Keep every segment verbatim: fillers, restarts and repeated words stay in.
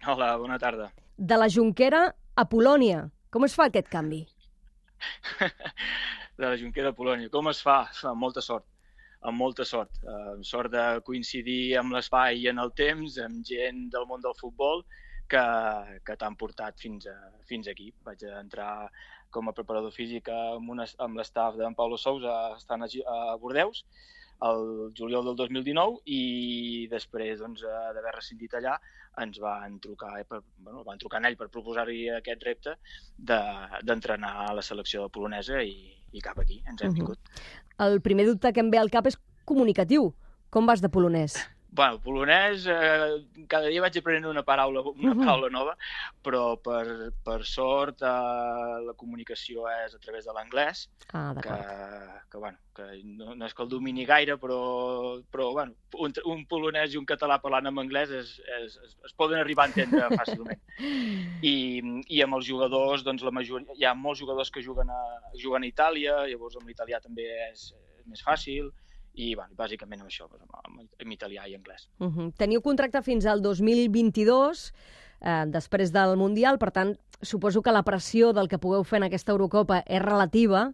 Hola, bona tarda. De la Jonquera a Polònia. Com es fa aquest canvi? De la Jonquera a Polònia. Com es fa? Amb molta sort. Amb molta sort. Uh, sort de coincidir amb l'espai i en el temps, amb gent del món del futbol que, que t'han portat fins, a, fins aquí. Vaig entrar com a preparador físic amb, una, amb l'estaf d'en Paulo Sousa estant a, a Bordeus el juliol del dos mil dinou i després doncs, d'haver rescindit allà ens van trucar, per, bueno, van trucar en ell per proposar-hi aquest repte d'entrenar de, a la selecció polonesa i, i cap aquí ens hem vingut. Uh-huh. El primer dubte que em ve al cap és comunicatiu. Com vas de polonès? Bueno, polonès, eh, cada dia vaig aprenent una paraula, una paraula nova, però per, per sort eh, la comunicació és a través de l'anglès, ah, que, que, bueno, que no, no és que el domini gaire, però, però bueno, un, un polonès i un català parlant en anglès es, es, es, es poden arribar a entendre fàcilment. I, i amb els jugadors, doncs la majoria, hi ha molts jugadors que juguen a, juguen a Itàlia, llavors amb l'italià també és, és més fàcil, i bueno, bàsicament amb això, amb, amb italià i anglès. Uh-huh. Teniu contracte fins al dos mil vint-i-dos, eh, després del Mundial, per tant, suposo que la pressió del que pugueu fer en aquesta Eurocopa és relativa,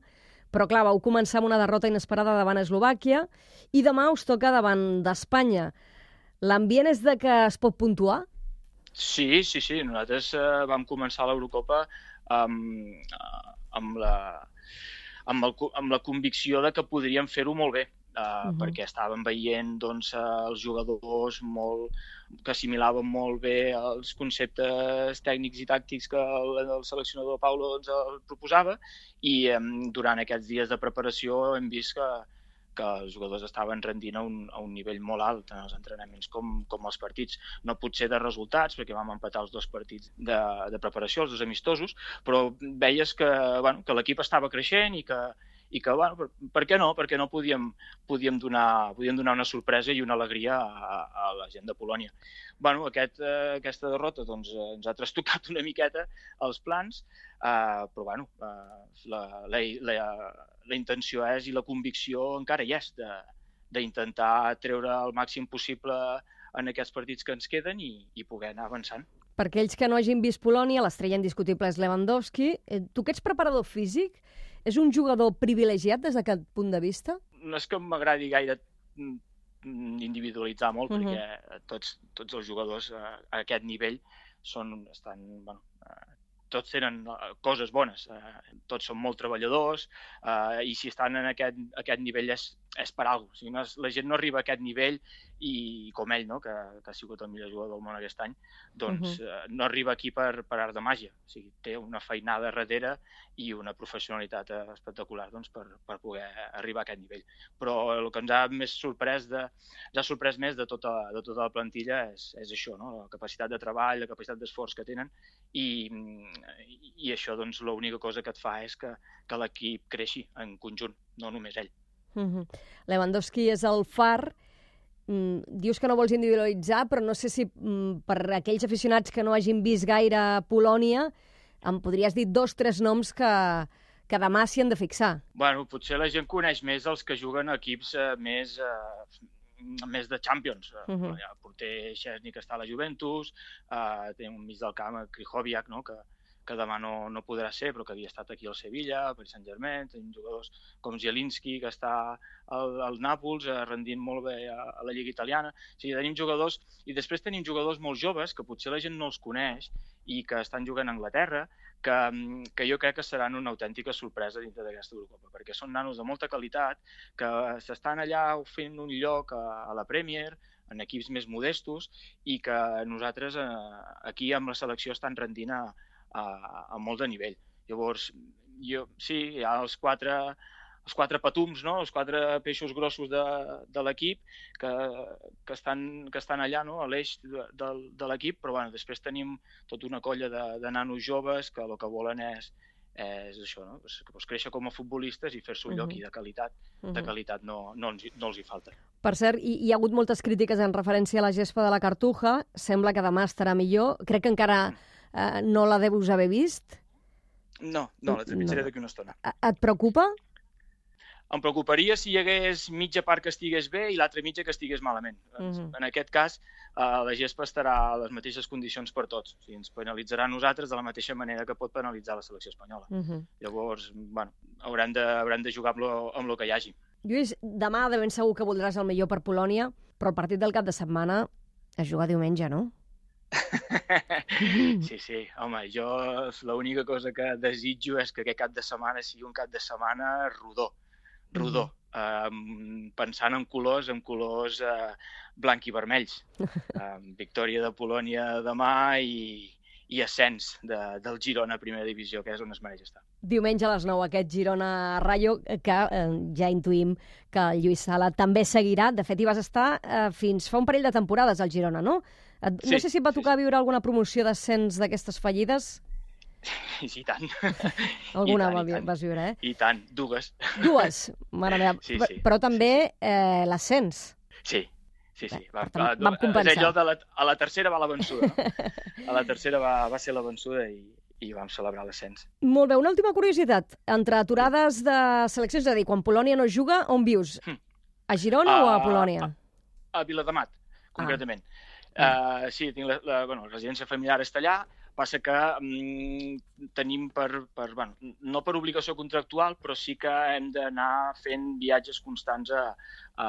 però clar, vau començar amb una derrota inesperada davant Eslovàquia i demà us toca davant d'Espanya. L'ambient és de que es pot puntuar? Sí, sí, sí. Nosaltres eh, vam començar l'Eurocopa amb, amb, la, amb, el, amb la convicció de que podríem fer-ho molt bé. Uh, uh-huh. Perquè estàvem veient doncs, els jugadors molt, que assimilaven molt bé els conceptes tècnics i tàctics que el, el seleccionador Paulo ens el proposava i um, durant aquests dies de preparació hem vist que, que els jugadors estaven rendint a un, a un nivell molt alt, tant els entrenaments com, com els partits. No potser de resultats, perquè vam empatar els dos partits de, de preparació, els dos amistosos, però veies que, bueno, que l'equip estava creixent i que i que, bueno, per, per què no? Perquè no podíem, podíem, donar, podíem donar una sorpresa i una alegria a, a la gent de Polònia. Bueno, aquest, eh, aquesta derrota doncs, eh, ens ha trastocat una miqueta els plans, eh, però bueno, eh, la, la, la, la intenció és i la convicció encara hi és d'intentar treure el màxim possible en aquests partits que ens queden i, i poder anar avançant. Per aquells que no hagin vist Polònia, l'estrella indiscutible és Lewandowski. Tu que ets preparador físic, és un jugador privilegiat des d'aquest punt de vista? No és que m'agradi gaire individualitzar molt, uh-huh. perquè tots, tots els jugadors a, a aquest nivell són, estan, bueno, eh, tots tenen coses bones, eh, tots són molt treballadors eh, i si estan en aquest, aquest nivell és, és per alguna cosa. O sigui, no és, la gent no arriba a aquest nivell i com ell, no? que, que ha sigut el millor jugador del món aquest any, doncs uh-huh. eh, no arriba aquí per, per art de màgia. O sigui, té una feinada darrere i una professionalitat espectacular doncs, per, per poder arribar a aquest nivell. Però el que ens ha més sorprès, de, ens ha sorprès més de tota, de tota la plantilla és, és això, no? La capacitat de treball, la capacitat d'esforç que tenen i, i això doncs, l'única cosa que et fa és que, que l'equip creixi en conjunt, no només ell. Uh-huh. Lewandowski és el far. Mm, dius que no vols individualitzar, però no sé si mm, per aquells aficionats que no hagin vist gaire Polònia em podries dir dos, tres noms que, que demà s'hi han de fixar. Bueno, potser la gent coneix més els que juguen a equips eh, més, eh, més de Champions. Uh-huh. El porter Szczęsny, que està a la Juventus, eh, tenim un mig del camp, Krychowiak, no? que, que demà no, no podrà ser, però que havia estat aquí al Sevilla, al Paris Saint-Germain, tenim jugadors com Zielinski, que està al, al Nàpols, eh, rendint molt bé a, a la Lliga Italiana. O sigui, tenim jugadors, i després tenim jugadors molt joves, que potser la gent no els coneix, i que estan jugant a Anglaterra, que, que jo crec que seran una autèntica sorpresa dintre d'aquesta Eurocopa, perquè són nanos de molta qualitat, que s'estan allà fent un lloc a, a la Premier, en equips més modestos, i que nosaltres eh, aquí amb la selecció estan rendint a, a, a molt de nivell. Llavors, jo, sí, hi ha els quatre, els quatre patums, no? Els quatre peixos grossos de, de l'equip que, que, estan, que estan allà, no? A l'eix de, de, de l'equip, però bueno, després tenim tota una colla de, de nanos joves que el que volen és, és això, no? Pues, pues créixer com a futbolistes i fer-se un lloc uh-huh. i de qualitat, uh-huh. de qualitat no, no, els, no els hi falta. Per cert, hi, hi ha hagut moltes crítiques en referència a la gespa de la Cartuja, sembla que demà estarà millor, crec que encara eh, no la deus haver vist. No, no, la trepitjaré no. d'aquí una estona. Et preocupa? em preocuparia si hi hagués mitja part que estigués bé i l'altra mitja que estigués malament. Uh-huh. En aquest cas, uh, la gespa estarà a les mateixes condicions per tots. O sigui, ens penalitzarà a nosaltres de la mateixa manera que pot penalitzar la selecció espanyola. Uh-huh. Llavors, bueno, haurem de, haurem de jugar amb lo, amb lo que hi hagi. Lluís, demà de ben segur que voldràs el millor per Polònia, però el partit del cap de setmana es juga diumenge, no? Sí, sí, home, jo l'única cosa que desitjo és que aquest cap de setmana sigui un cap de setmana rodó, rodó, mm. eh, pensant en colors, en colors eh, blanc i vermells. Eh, victòria de Polònia demà i, i ascens de, del Girona a primera divisió, que és on es mereix estar. Diumenge a les nou, aquest Girona-Rayo, que eh, ja intuïm que el Lluís Sala també seguirà. De fet, hi vas estar eh, fins fa un parell de temporades al Girona, no? Et, sí, no sé si et va tocar sí, sí. viure alguna promoció d'ascens d'aquestes fallides. Sí, sí, i tant. Alguna I tant, va, i tant. vas viure, eh? I tant, dues. Dues, mare meva. Sí, sí. Però també eh, l'ascens. Sí, sí, sí. Va, va, vam compensar. És allò de la, a la tercera va la vençuda, no? A la tercera va, va ser la vençuda i, i vam celebrar l'ascens. Molt bé, una última curiositat. Entre aturades de seleccions, és a dir, quan Polònia no juga, on vius? A Girona uh, o a Polònia? A, a Viladamat, concretament. Ah. Uh, sí, tinc la, la, bueno, la residència familiar està allà, passa que mm, tenim per, per, bueno, no per obligació contractual, però sí que hem d'anar fent viatges constants a, a,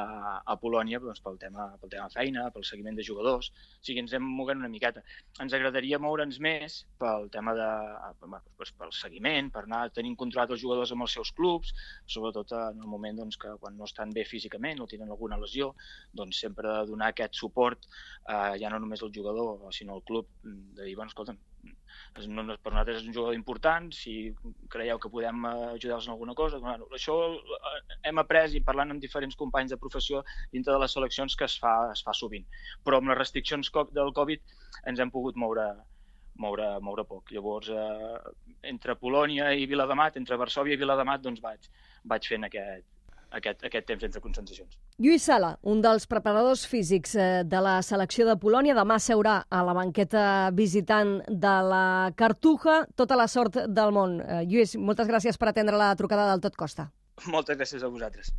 a Polònia doncs, pel tema, pel tema feina, pel seguiment de jugadors, o sigui, ens hem mogut una miqueta. Ens agradaria moure'ns més pel tema de, doncs, pel seguiment, per anar tenint controlat els jugadors amb els seus clubs, sobretot en el moment doncs, que quan no estan bé físicament o tenen alguna lesió, doncs sempre donar aquest suport, eh, ja no només al jugador, sinó al club, de dir, bueno, escolta'm, no, no, per nosaltres és un jugador important, si creieu que podem ajudar-los en alguna cosa. Bueno, això hem après i parlant amb diferents companys de professió dintre de les seleccions que es fa, es fa sovint. Però amb les restriccions del Covid ens hem pogut moure, moure, moure poc. Llavors, eh, entre Polònia i Viladamat, entre Varsòvia i Viladamat, doncs vaig, vaig fent aquest, aquest, aquest temps entre concentracions. Lluís Sala, un dels preparadors físics de la selecció de Polònia, demà seurà a la banqueta visitant de la Cartuja. Tota la sort del món. Lluís, moltes gràcies per atendre la trucada del Tot Costa. Moltes gràcies a vosaltres.